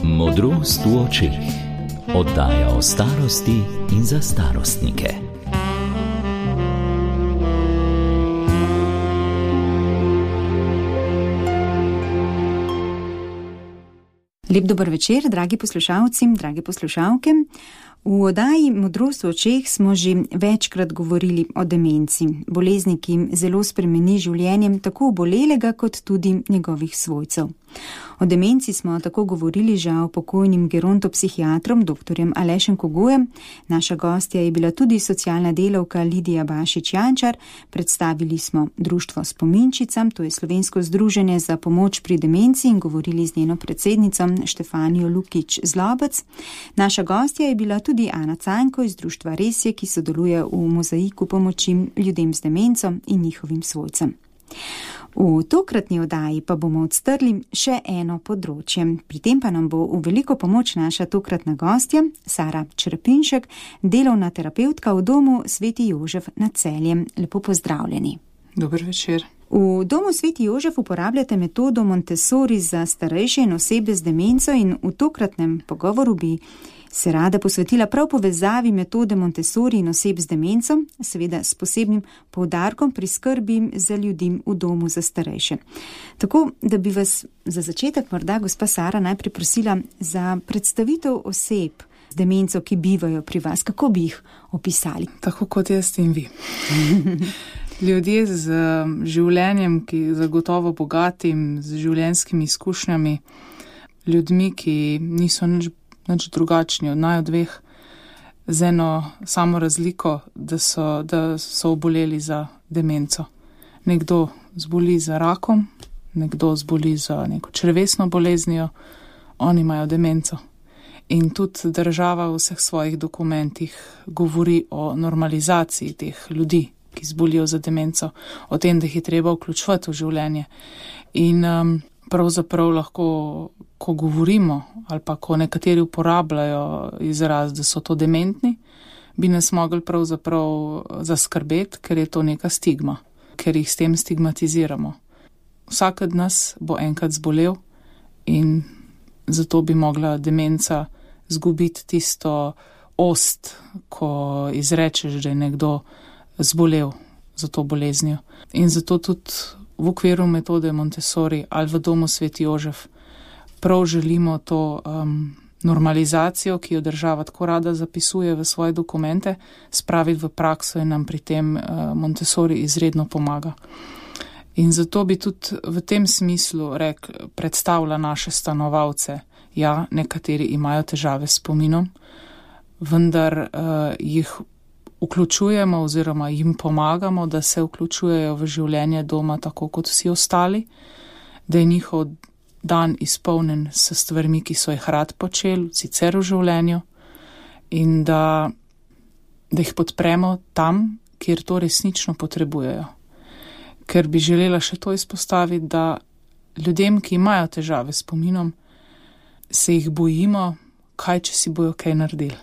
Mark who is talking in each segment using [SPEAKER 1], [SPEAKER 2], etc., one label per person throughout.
[SPEAKER 1] Modrost v očeh. Oddaja o starosti in za starostnike.
[SPEAKER 2] Lep dober večer, dragi poslušalci, drage poslušalke. V oddaji Modrost v očeh smo že večkrat govorili o demenci, bolezni, ki zelo spremeni življenjem tako obolelega kot tudi njegovih svojcev. O demenci smo tako govorili žal pokojnim gerontopsihiatrom dr. Alešem Kogojem. Naša gostja je bila tudi socialna delavka Lidija Bašič-Jančar. Predstavili smo Društvo Spominčica, to je slovensko združenje za pomoč pri demenci, in govorili z njeno predsednico Štefanijo Lukić-Zlobec. Naša gostja je bila tudi Ana Cajnko iz Društva Resje, ki sodeluje v mozaiku pomoči ljudem z demenco in njihovim svojcem. V tokratni oddaji pa bomo odstrli še eno področje. Pri tem pa nam bo v veliko pomoč naša tokratna gostja, Sara Črepinšek, delovna terapevtka v domu Sveti Jožef nad Celjem. Lepo pozdravljeni.
[SPEAKER 3] Dober večer.
[SPEAKER 2] V domu Sveti Jožef uporabljate metodo Montessori za starejše in osebe z demenco in v tokratnem pogovoru bi se rada posvetila prav povezavi metode Montessori in oseb z demenco, seveda s posebnim poudarkom pri skrbi za ljudi v domu za starejše. Tako, da bi vas za začetek morda, gospa Sara, najprej prosila za predstavitev oseb z demenco, ki bivajo pri vas. Kako bi jih opisali?
[SPEAKER 3] Tako kot jaz in vi. Ljudje z življenjem, ki je zagotovo bogatim, z življenjskimi izkušnjami, ljudmi, ki niso nič drugačni od naju dveh, z eno samo razliko, da so oboleli za demenco. Nekdo zboli za rakom, nekdo zboli za neko črevesno boleznijo, oni imajo demenco. In tudi država v vseh svojih dokumentih govori o normalizaciji teh ljudi, ki zbolijo za demenco, o tem, da jih je treba vključevati v življenje. In pravzaprav lahko, ko govorimo ali pa ko nekateri uporabljajo izraz, da so to dementni, bi nas mogli pravzaprav zaskrbeti, ker je to neka stigma, ker jih s tem stigmatiziramo. Vsak od nas bo enkrat zbolel in zato bi mogla demenca zgubiti tisto ost, ko izrečeš, da je nekdo zbolel za to boleznijo. In zato tudi v okviru metode Montessori ali v domu Sveti Jožef prav želimo to normalizacijo, ki jo država tako rada zapisuje v svoje dokumente, spraviti v prakso in nam pri tem Montessori izredno pomaga. In zato bi tudi v tem smislu predstavila naše stanovalce. Ja, nekateri imajo težave s spominom, vendar jih vključujemo oziroma jim pomagamo, da se vključujejo v življenje doma tako kot vsi ostali, da je njihov dan izpolnjen s stvarmi, ki so jih rad počeli, sicer v življenju, in da jih podpremo tam, kjer to resnično potrebujejo. Ker bi želela še to izpostaviti, da ljudem, ki imajo težave s spominom, se jih bojimo, kaj če si bojo kaj naredili.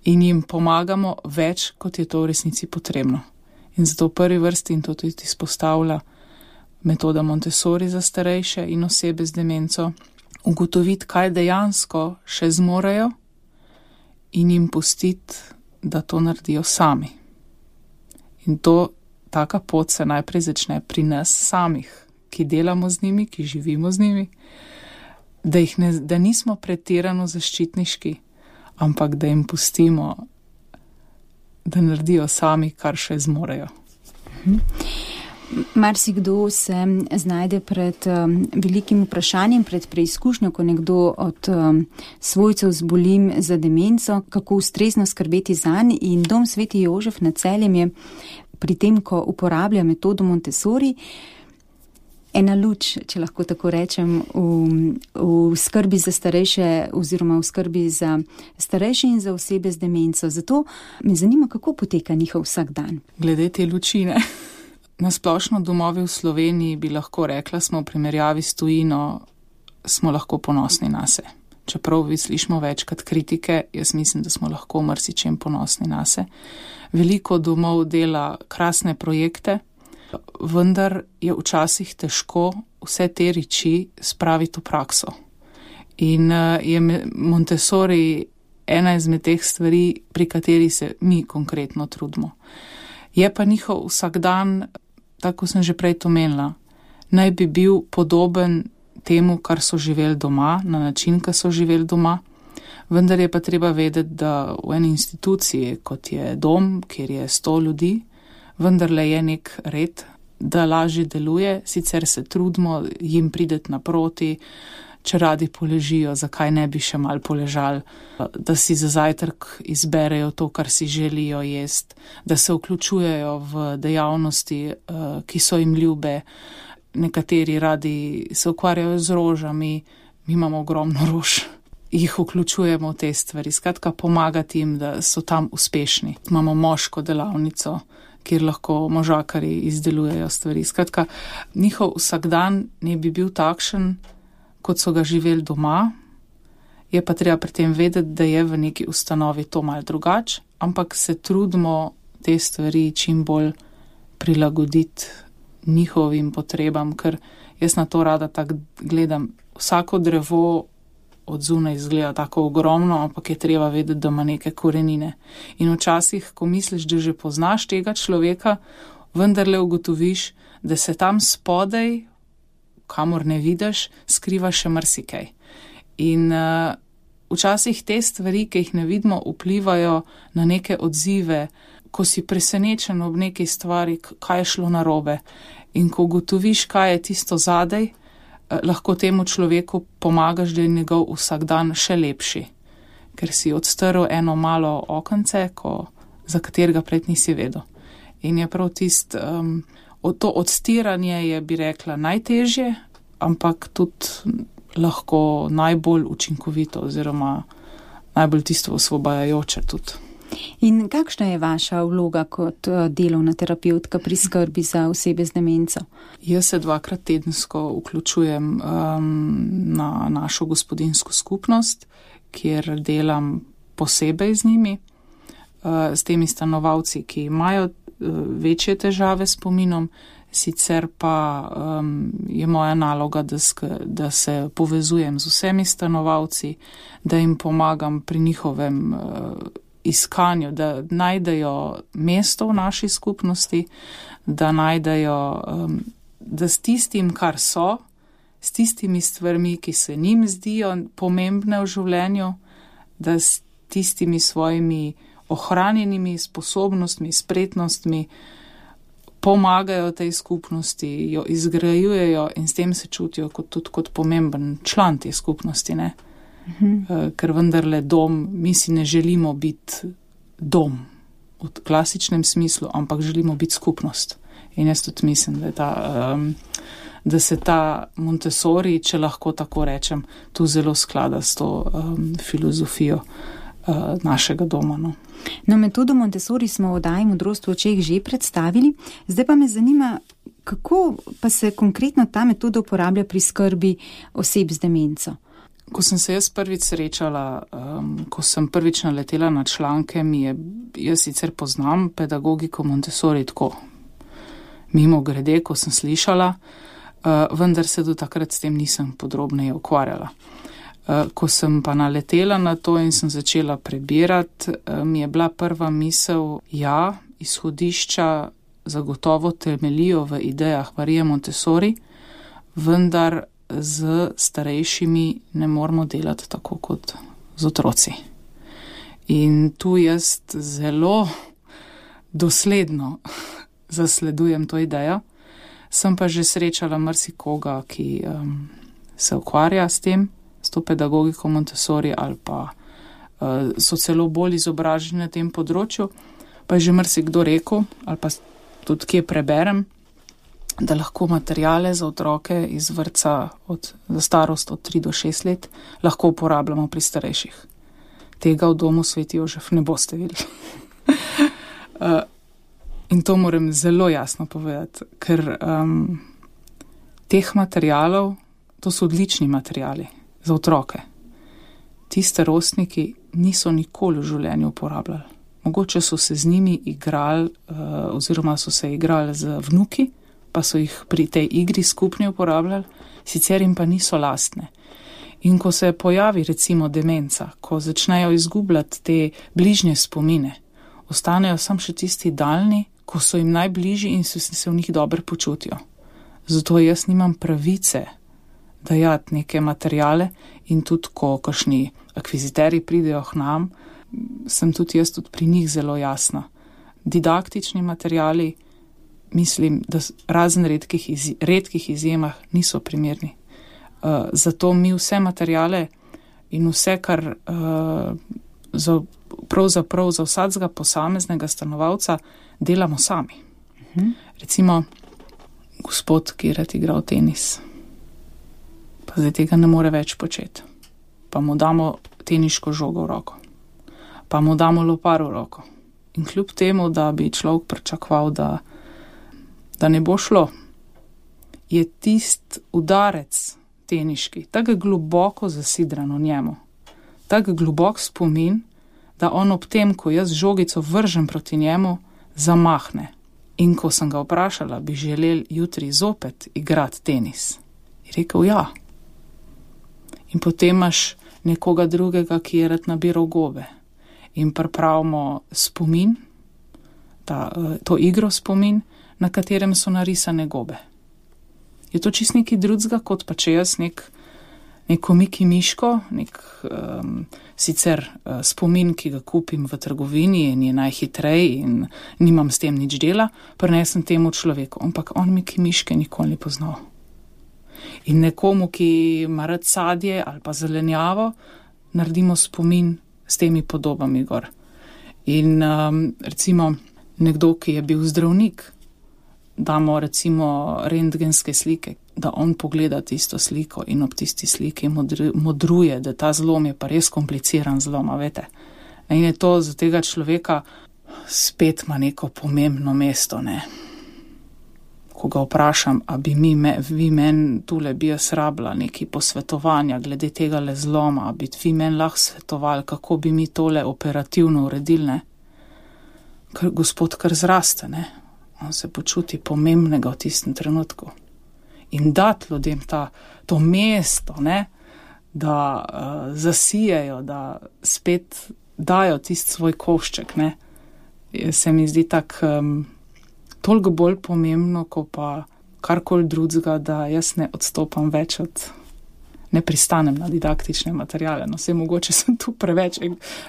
[SPEAKER 3] In jim pomagamo več, kot je to v resnici potrebno. In zato v prvi vrsti, in to tudi izpostavlja metoda Montessori za starejše in osebe z demenco, ugotoviti, kaj dejansko še zmorejo in jim pustiti, da to naredijo sami. In taka pot se najprej začne pri nas samih, ki delamo z njimi, ki živimo z njimi, da nismo pretirano zaščitniški, ampak da jim pustimo, da naredijo sami, kar še zmorejo.
[SPEAKER 2] Marsikdo se znajde pred velikim vprašanjem, pred preizkušnjo, ko nekdo od svojcev zboli za demenco, kako ustrezno skrbeti zanj, in dom Sveti Jožef nad Celjem je pri tem, ko uporablja metodo Montessori, ena luč, če lahko tako rečem, v skrbi za starejše oziroma v skrbi za starejše in za osebe z demenco. Zato me zanima, kako poteka njihov vsak dan.
[SPEAKER 3] Glede te lučine. Na splošno domovi v Sloveniji bi lahko rekla, smo v primerjavi s tujino, smo lahko ponosni nase. Čeprav vi slišimo večkrat kritike, jaz mislim, da smo lahko marsičem ponosni nase. Veliko domov dela krasne projekte, vendar je včasih težko vse te reči spraviti v prakso. In je Montessori ena izmed teh stvari, pri kateri se mi konkretno trudimo. Je pa njihov vsakdan, tako sem že prej omenila, naj bi bil podoben temu, kar so živeli doma, na način, kar so živeli doma, vendar je pa treba vedeti, da v eni instituciji, kot je dom, kjer je 100 ljudi, vendarle je nek red, da lažje deluje, sicer se trudimo jim prideti naproti, če radi poležijo, zakaj ne bi še mal poležali, da si za zajtrk izberejo to, kar si želijo jesti, da se vključujejo v dejavnosti, ki so jim ljube. Nekateri radi se ukvarjajo z rožami, mi imamo ogromno rož, jih vključujemo v te stvari, skratka pomagati jim, da so tam uspešni. Imamo moško delavnico, kjer lahko možakarji izdelujejo stvari. Skratka, njihov vsakdan ne bi bil takšen, kot so ga živeli doma, je pa treba pri tem vedeti, da je v neki ustanovi to malo drugače, ampak se trudimo te stvari čim bolj prilagoditi njihovim potrebam, ker jaz na to rada tako gledam. Vsako drevo od zunaj izgleda tako ogromno, ampak je treba vedeti, da ima neke korenine. In včasih, ko misliš, da že poznaš tega človeka, vendarle ugotoviš, da se tam spodaj, kamor ne vidiš, skriva še marsikaj. In včasih te stvari, ki jih ne vidimo, vplivajo na neke odzive, ko si presenečen ob neki stvari, kaj je šlo narobe. In ko ugotoviš, kaj je tisto zadaj, lahko temu človeku pomagaš, da je njegov vsakdan še lepši. Ker si odstrl eno malo okence, za katerega pred nisi vedel. In je prav to odstiranje je, bi rekla, najtežje, ampak tudi lahko najbolj učinkovito oziroma najbolj tisto osvobajajoče tudi.
[SPEAKER 2] In kakšna je vaša vloga kot delovna terapeutka pri skrbi za osebe z demenco?
[SPEAKER 3] Jaz se 2-krat tedensko vključujem na našo gospodinjsko skupnost, kjer delam posebej z njimi, s temi stanovalci, ki imajo večje težave s spominom, sicer pa je moja naloga, da se povezujem z vsemi stanovalci, da jim pomagam pri njihovem iskanju, da najdejo mesto v naši skupnosti, da najdejo, da s tistim, kar so, s tistimi stvarmi, ki se njim zdijo pomembne v življenju, da s tistimi svojimi ohranjenimi sposobnostmi, spretnostmi pomagajo tej skupnosti, jo izgrajujejo in s tem se čutijo tudi kot pomemben član te skupnosti, ne? Ker vendarle dom, mi si ne želimo biti dom v klasičnem smislu, ampak želimo biti skupnost. In jaz tudi mislim, da se ta Montessori, če lahko tako rečem, tu zelo sklada s to filozofijo našega doma.
[SPEAKER 2] No, metodo Montessori smo v oddaji Modrost v očeh že predstavili, zdaj pa me zanima, kako pa se konkretno ta metoda uporablja pri skrbi oseb z demenco.
[SPEAKER 3] Ko sem se jaz prvič srečala, ko sem prvič naletela na članke, jaz sicer poznam pedagogiko Montessori tako mimo grede, ko sem slišala, vendar se do takrat s tem nisem podrobneje ukvarjala. Ko sem pa naletela na to in sem začela prebirati, mi je bila prva misel, izhodišča zagotovo temeljijo v idejah Marije Montessori, vendar z starejšimi ne moramo delati tako kot z otroci. In tu jaz zelo dosledno zasledujem to idejo. Sem pa že srečala marsikoga, ki se ukvarja s tem, s to pedagogiko Montessori ali pa so celo bolj izobraženi na tem področju, pa je že marsikdo rekel, ali pa tudi kje preberem, da lahko materijale za otroke iz vrtca za starost od 3 do 6 let lahko uporabljamo pri starejših. Tega v domu Sveti Jožef ne boste videli. In to moram zelo jasno povedati, ker teh materijalov, to so odlični materijali za otroke. Ti starostniki niso nikoli v življenju uporabljali. Mogoče so se z njimi igrali oziroma so se igrali z vnuki, pa so jih pri tej igri skupni uporabljali, sicer jim pa niso lastne. In ko se pojavi recimo demenca, ko začnejo izgubljati te bližnje spomine, ostanejo samo še tisti daljni, ko so jim najbližji in se v njih dobro počutijo. Zato jaz nimam pravice dajati neke materijale in tudi, ko kakšni akviziteri pridejo k nam, sem tudi jaz tudi pri njih zelo jasna. Didaktični materijali, mislim, da razen redkih izjemah niso primerni. Zato mi vse materijale in vse, kar pravzaprav za vsakega posameznega stanovalca delamo sami. Recimo, gospod, ki je rad igral tenis, pa zdaj tega ne more več početi. Pa mu damo teniško žogo v roko. Pa mu damo lopar v roko. In kljub temu, da bi človek pričakoval, da ne bo šlo, je tist udarec teniški tako globoko zasidran v njemu, tako globok spomin, da on ob tem, ko jaz žogico vržem proti njemu, zamahne. In ko sem ga vprašala, bi želel jutri zopet igrati tenis, je rekel ja. In potem imaš nekoga drugega, ki je rad nabiral gobe. In pripravimo spomin, to igro spomin, na katerem so narisane gobe. Je to čist nekaj drugega, kot pa če jaz neko Miki Miško, sicer spomin, ki ga kupim v trgovini in je najhitrej in nimam s tem nič dela, prinesem temu človeku. Ampak on Miki Miške nikoli ni poznal. In nekomu, ki ima rad sadje ali pa zelenjavo, naredimo spomin s temi podobami gor. In recimo nekdo, ki je bil zdravnik, damo recimo rentgenske slike, da on pogleda tisto sliko in ob tisti sliki modruje, da ta zlom je pa res kompliciran zlom, a veste. In je to za tega človeka spet ima neko pomembno mesto, ne. Ko ga vprašam, a bi vi meni tule bi jaz rabila neki posvetovanja glede tega le zloma, a bi vi meni lahko svetovali, kako bi mi tole operativno uredili, ne. Gospod kar zraste, ne. On se počuti pomembnega v tistem trenutku. In dati ljudem to mesto, ne, da zasijejo, da spet dajo tisti svoj košček, ne, se mi zdi toliko bolj pomembno, ko pa karkoli drugega, da jaz ne odstopam več ne pristanem na didaktične materijale. No, vse mogoče sem tu preveč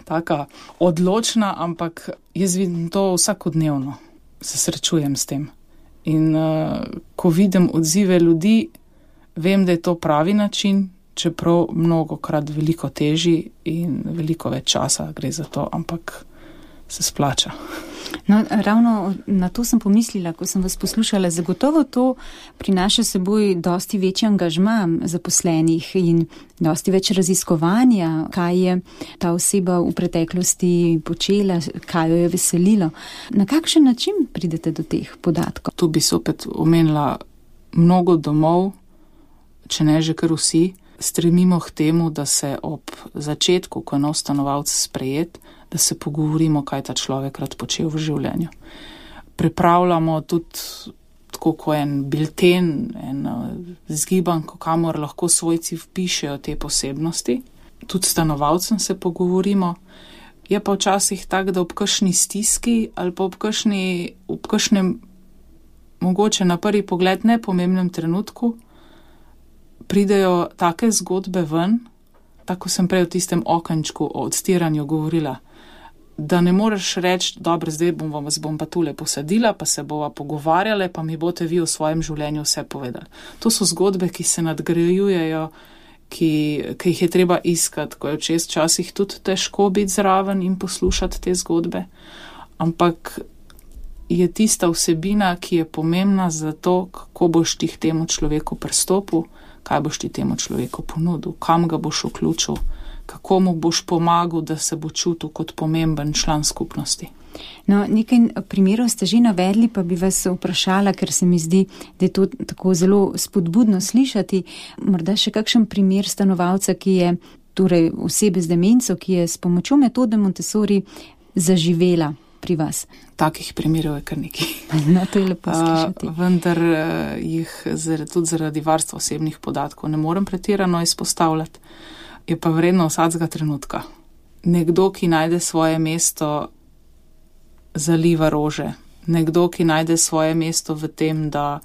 [SPEAKER 3] taka odločna, ampak jaz vidim to vsakodnevno. Se srečujem s tem. In ko vidim odzive ljudi, vem, da je to pravi način, čeprav mnogokrat veliko težji in veliko več časa gre za to, ampak se splača.
[SPEAKER 2] No, ravno na to sem pomislila, ko sem vas poslušala. Zagotovo to prinaša seboj dosti večji angažma zaposlenih in dosti več raziskovanja, kaj je ta oseba v preteklosti počela, kaj jo je veselilo. Na kakšen način pridete do teh podatkov?
[SPEAKER 3] Tu bi se opet omenila mnogo domov, če ne že kar vsi, stremimo k temu, da se ob začetku, ko je nov stanovalec sprejet, da se pogovorimo, kaj ta človek rad počel v življenju. Pripravljamo tudi tako kot en bilten, en zgibanko, kamor lahko svojci vpišejo te posebnosti. Tudi stanovalcem se pogovorimo. Je pa včasih tak, da ob kakšni stiski ali pa ob kakšnem mogoče na prvi pogled nepomembnem trenutku pridejo take zgodbe ven, tako sem prej v tistem okenčku o odstiranju govorila, da ne moreš reči, dobro, zdaj vas bom pa tule posadila, pa se bova pogovarjale, pa mi boste vi v svojem življenju vse povedali. To so zgodbe, ki se nadgrajujejo, ki jih je treba iskati, ko je včasih tudi težko biti zraven in poslušati te zgodbe. Ampak je tista vsebina, ki je pomembna za to, kako boš ti k temu človeku pristopil, kaj boš ti temu človeku ponudil, kam ga boš vključil, kako mu boš pomagal, da se bo čutil kot pomemben član skupnosti.
[SPEAKER 2] No, nekaj primerov ste že navedli, pa bi vas vprašala, ker se mi zdi, da je to tako zelo spodbudno slišati. Morda še kakšen primer stanovalca, ki je, torej osebe z demenco, ki je s pomočjo metode Montessori zaživela pri vas?
[SPEAKER 3] Takih primerov je kar nekaj.
[SPEAKER 2] No, to je lepo slišati.
[SPEAKER 3] Vendar jih tudi zaradi varstva osebnih podatkov ne morem pretirano izpostavljati. Je pa vredno vsakega trenutka. Nekdo, ki najde svoje mesto, zaliva rože. Nekdo, ki najde svoje mesto v tem, da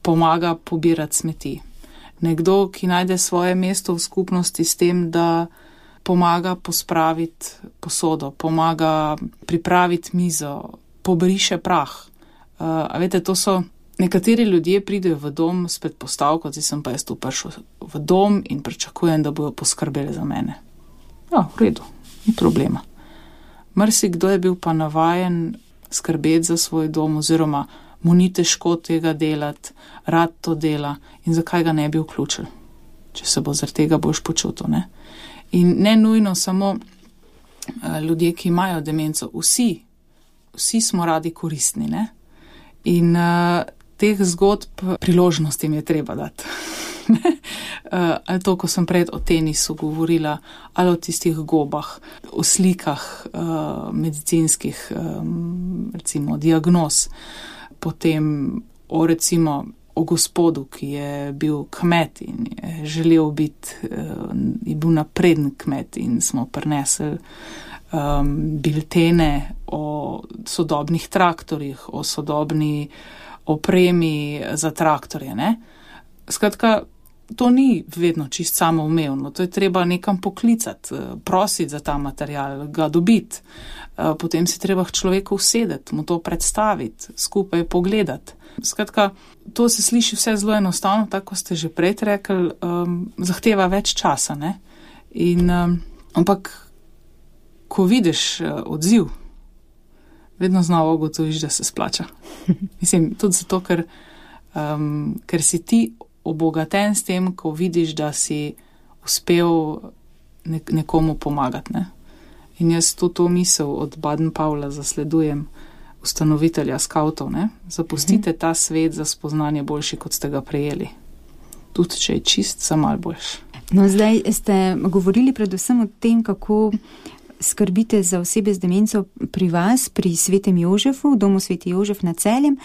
[SPEAKER 3] pomaga pobirati smeti. Nekdo, ki najde svoje mesto v skupnosti s tem, da pomaga pospraviti posodo, pomaga pripraviti mizo, pobriše prah. A veste, to so nekateri ljudje pridejo v dom s predpostavko, zdaj sem pa jaz tu prišel v dom in pričakujem, da bojo poskrbeli za mene. Ja, v redu, ni problema. Marsikdo je bil pa navajen skrbeti za svoj dom oziroma mu ni težko tega delati, rad to dela in zakaj ga ne bi vključil, če se bo zaradi tega boš počutil, ne? In ne nujno samo ljudje, ki imajo demenco, vsi smo radi koristni, ne? In teh zgodb priložnost jim je treba dati. Ali to, ko sem pred o tenisu govorila, ali o tistih gobah, o slikah medicinskih, recimo diagnoz, potem o gospodu, ki je bil kmet in je želel biti, je bil napreden kmet in smo prinesli biltene o sodobnih traktorjih, o sodobni opremi za traktorje, ne? Skratka, to ni vedno čist samoumevno, to je treba nekam poklicati, prositi za ta material, ga dobiti, potem si treba k človeku usedeti, mu to predstaviti, skupaj pogledati. Skratka, to se sliši vse zelo enostavno, tako ste že prej rekli, zahteva več časa, ne? Ampak, ko vidiš odziv, vedno znova ugotoviš, da se splača. Mislim, tudi zato, ker si ti obogaten s tem, ko vidiš, da si uspel nekomu pomagati, ne? In jaz to misel od Baden-Powella zasledujem, ustanovitelja skavtov, ne? Zapustite ta svet za spoznanje boljši, kot ste ga prejeli. Tudi, če je čist, za malo boljši.
[SPEAKER 2] No, zdaj ste govorili predvsem o tem, kako skrbite za osebe z demenco pri vas, pri Svetem Jožefu, v domu Sveti Jožef na Celjem.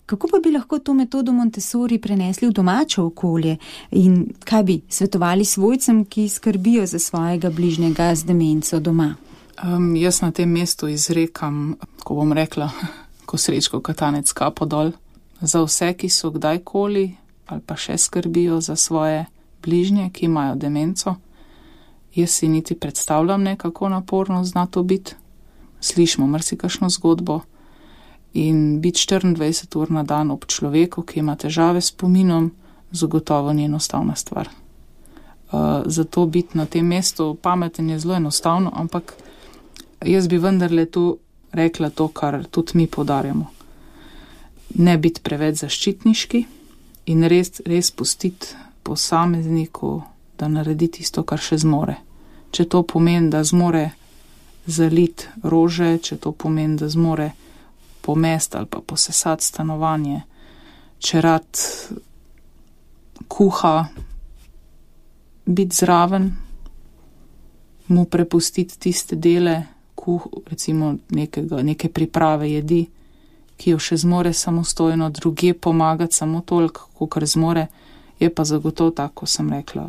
[SPEAKER 2] Kako pa bi lahko to metodo Montessori prenesli v domače okolje in kaj bi svetovali svojcem, ki skrbijo za svojega bližnjega z demenco doma?
[SPEAKER 3] Jaz na tem mestu izrekam, ko bom rekla, ko Srečko Katanec kapo dol, za vse, ki so kdajkoli ali pa še skrbijo za svoje bližnje, ki imajo demenco. Jaz si niti predstavljam ne, kako naporno zna to biti. Slišimo marsikakšno zgodbo in biti 24 ur na dan ob človeku, ki ima težave s spominom, zagotovo ni enostavna stvar. Zato biti na tem mestu pameten je zelo enostavno, ampak jaz bi vendarle tu rekla to, kar tudi mi poudarjamo. Ne biti preveč zaščitniški in res pustiti posamezniku, da naredi tisto, kar še zmore. Če to pomeni, da zmore zaliti rože, če to pomeni, da zmore pomesti ali pa posesati stanovanje, če rad kuha, biti zraven, mu prepustiti tiste dele, recimo neke priprave jedi, ki jo še zmore samostojno, druge pomagati samo toliko, kakor zmore, je pa zagotovo tako, sem rekla,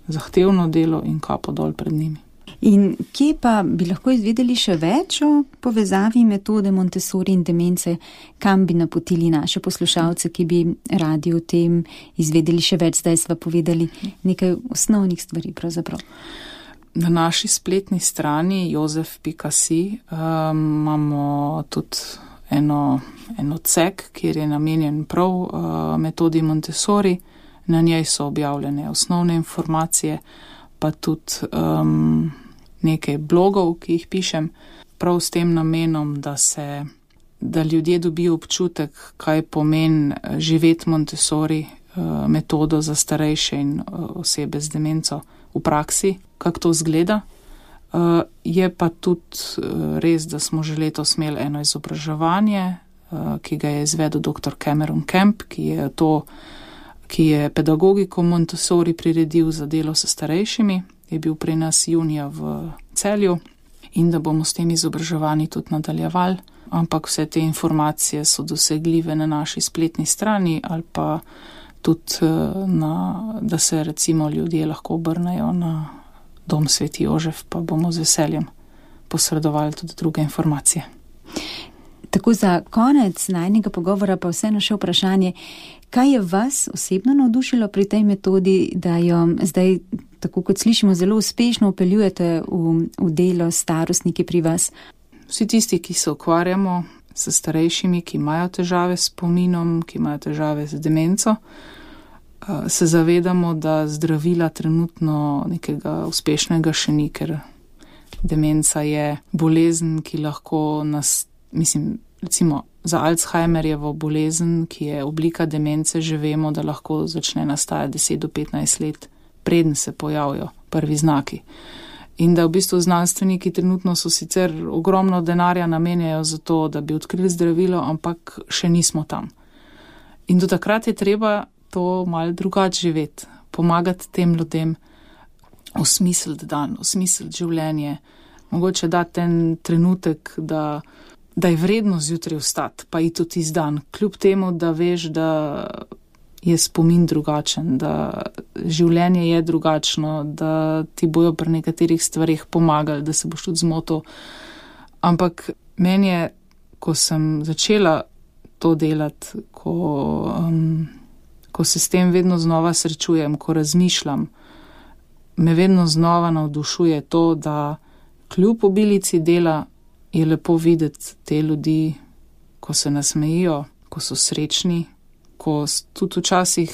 [SPEAKER 3] zahtevno delo in kapo dol pred njimi.
[SPEAKER 2] In kje pa bi lahko izvedeli še več o povezavi metode Montessori in demence, kam bi napotili naše poslušalce, ki bi radi o tem izvedeli še več, zdaj sva povedali nekaj osnovnih stvari pravzaprav.
[SPEAKER 3] Na naši spletni strani jozef.si imamo tudi eno odsek, kjer je namenjen prav metodi Montessori. Na njej so objavljene osnovne informacije, pa tudi nekaj blogov, ki jih pišem, prav s tem namenom, da ljudje dobijo občutek, kaj pomeni živeti Montessori metodo za starejše in osebe z demenco v praksi, kako to izgleda. Je pa tudi res, da smo že letos imeli eno izobraževanje, ki ga je izvedel dr. Cameron Kemp, ki je pedagogiko Montessori priredil za delo s starejšimi, je bil pri nas junija v Celju in da bomo s tem izobraževanji tudi nadaljevali, ampak vse te informacije so dosegljive na naši spletni strani ali pa tudi, da se recimo ljudje lahko obrnejo na Dom Sveti Jožef, pa bomo z veseljem posredovali tudi druge informacije.
[SPEAKER 2] Tako za konec najnega pogovora pa vseeno še vprašanje, kaj je vas osebno navdušilo pri tej metodi, da jo zdaj, tako kot slišimo, zelo uspešno vpeljujete v delo s starostniki pri vas?
[SPEAKER 3] Vsi tisti, ki se ukvarjamo s starejšimi, ki imajo težave s spominom, ki imajo težave z demenco, se zavedamo, da zdravila trenutno nekega uspešnega še ni, ker demenca je bolezen, ki lahko nas, recimo za Alzheimerjevo bolezen, ki je oblika demence, že vemo, da lahko začne nastajati 10 do 15 let, preden se pojavijo prvi znaki. In da v bistvu znanstveniki trenutno so sicer ogromno denarja namenjajo za to, da bi odkrili zdravilo, ampak še nismo tam. In do takrat je treba to malo drugače živeti, pomagati tem ljudem, osmisliti dan, osmisliti življenje, mogoče dati ten trenutek, da je vredno zjutraj vstati, pa iti tudi iz dan, kljub temu, da veš, da je spomin drugačen, da življenje je drugačno, da ti bojo pri nekaterih stvarih pomagali, da se boš tudi zmotil. Ampak meni je, ko sem začela to delati, ko se s tem vedno znova srečujem, ko razmišljam, me vedno znova navdušuje to, da kljub obilici dela je lepo videti te ljudi, ko se nasmejijo, ko so srečni, ko tudi včasih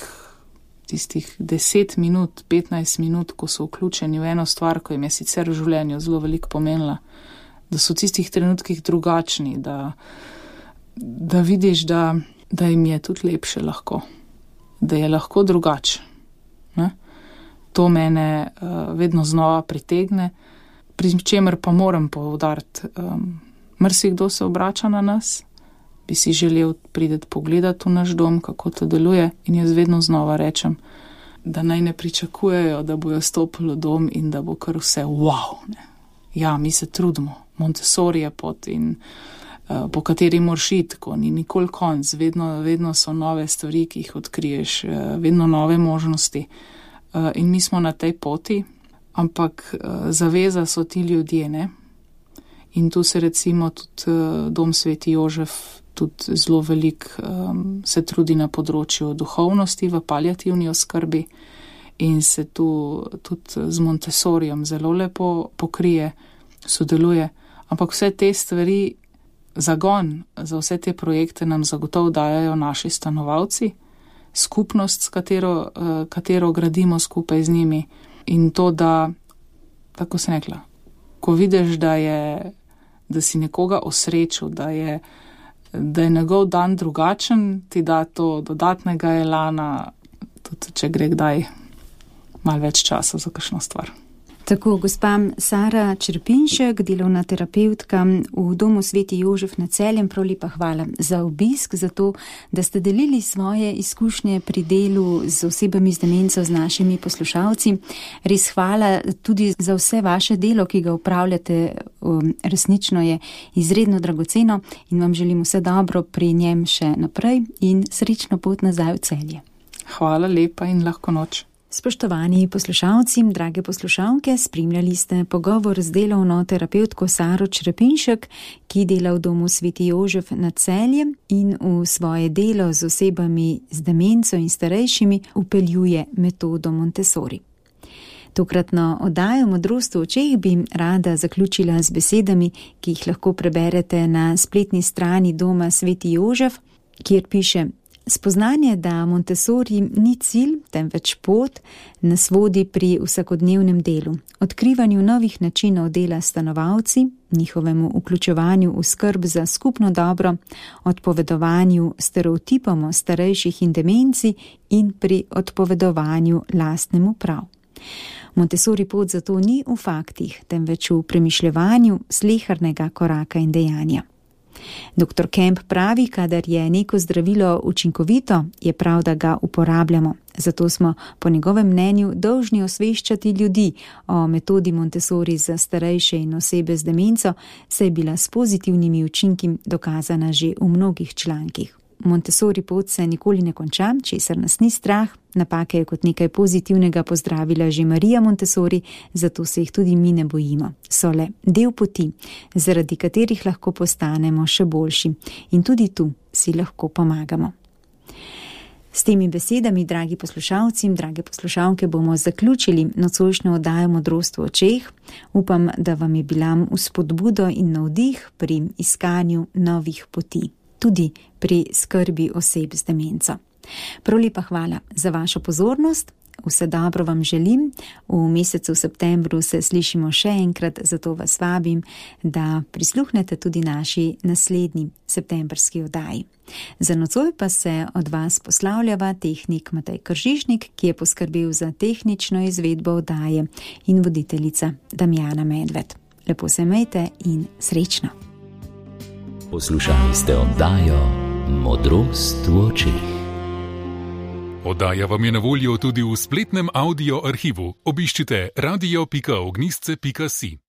[SPEAKER 3] tistih 10 minut, 15 minut, ko so vključeni v eno stvar, ko jim je sicer v življenju zelo veliko pomenila, da so v tistih trenutkih drugačni, da vidiš, da jim je tudi lepše lahko, da je lahko drugače. To mene vedno znova pritegne, pri čemer pa moram poudariti, marsikdo se obrača na nas, bi si želel priti pogledati v naš dom, kako to deluje, in jaz vedno znova rečem, da naj ne pričakujejo, da bojo stopili v dom in da bo kar vse wow. Ne. Ja, mi se trudimo, Montessori je pot in po kateri moraš iti, ko ni nikoli konc, vedno so nove stvari, ki jih odkriješ, vedno nove možnosti. In mi smo na tej poti, ampak zaveza so ti ljudje, ne? In tu se recimo tudi Dom Sveti Jožef tudi zelo veliko se trudi na področju duhovnosti v paliativni oskrbi in se tu tudi z Montessorijem zelo lepo pokrije, sodeluje. Ampak vse te stvari, zagon za vse te projekte nam zagotovo dajajo naši stanovalci, skupnost, s katero gradimo skupaj z njimi. In to, da, tako sem rekla, ko vidiš, da si nekoga osrečil, da je njegov dan drugačen, ti da to dodatnega elana, tudi če gre kdaj malo več časa za kakšno stvar.
[SPEAKER 2] Tako, gospa Sara Črepinšek, delovna terapevtka v Domu Sveti Jožef na Celjem, prav lepa hvala za obisk, za to, da ste delili svoje izkušnje pri delu z osebami z demenco z našimi poslušalci. Res hvala tudi za vse vaše delo, ki ga upravljate, resnično je izredno dragoceno in vam želim vse dobro pri njem še naprej in srečno pot nazaj v Celje.
[SPEAKER 3] Hvala lepa in lahko noč.
[SPEAKER 2] Spoštovani poslušalci, drage poslušalke, spremljali ste pogovor z delovno terapevtko Saro Črepinšek, ki dela v Domu Sveti Jožef na Celjem in v svoje delo z osebami z demenco in starejšimi vpeljuje metodo Montessori. Tokratno oddajo Modrost v očeh bi rada zaključila z besedami, ki jih lahko preberete na spletni strani Doma Sveti Jožef, kjer piše: spoznanje, da Montessori ni cilj, temveč pot, nas vodi pri vsakodnevnem delu, odkrivanju novih načinov dela s stanovalci, njihovemu vključevanju v skrb za skupno dobro, odpovedovanju stereotipom o starejših in demenci in pri odpovedovanju lastnemu prav. Montessori pot zato ni v faktih, temveč v premišljevanju slehernega koraka in dejanja. Dr. Kemp pravi, kadar je neko zdravilo učinkovito, je prav, da ga uporabljamo. Zato smo po njegovem mnenju dolžni osveščati ljudi o metodi Montessori za starejše in osebe z demenco, saj je bila s pozitivnimi učinki dokazana že v mnogih člankih. Montessori pot se nikoli ne konča, česar nas ni strah. Napake je kot nekaj pozitivnega pozdravila že Marija Montessori, zato se jih tudi mi ne bojimo. So le del poti, zaradi katerih lahko postanemo še boljši. In tudi tu si lahko pomagamo. S temi besedami, dragi poslušalci in drage poslušalke, bomo zaključili nocojšnjo oddajo Modrost v očeh. Upam, da vam je bila vzpodbudo in navdih pri iskanju novih poti, tudi pri skrbi oseb z demenco. Prav lepa hvala za vašo pozornost. Vse dobro vam želim. V mesecu septembru se slišimo še enkrat, zato vas vabim, da prisluhnete tudi naši naslednji septembrski oddaji. Za nocoj pa se od vas poslavljava tehnik Matej Kržišnik, ki je poskrbel za tehnično izvedbo oddaje, in voditeljica Damjana Medved. Lepo se imejte in srečno.
[SPEAKER 1] Poslušali ste oddajo Modrost v očeh.
[SPEAKER 4] Oddaja vam je na voljo tudi v spletnem audio arhivu. Obiščite radio.ognjisce.si.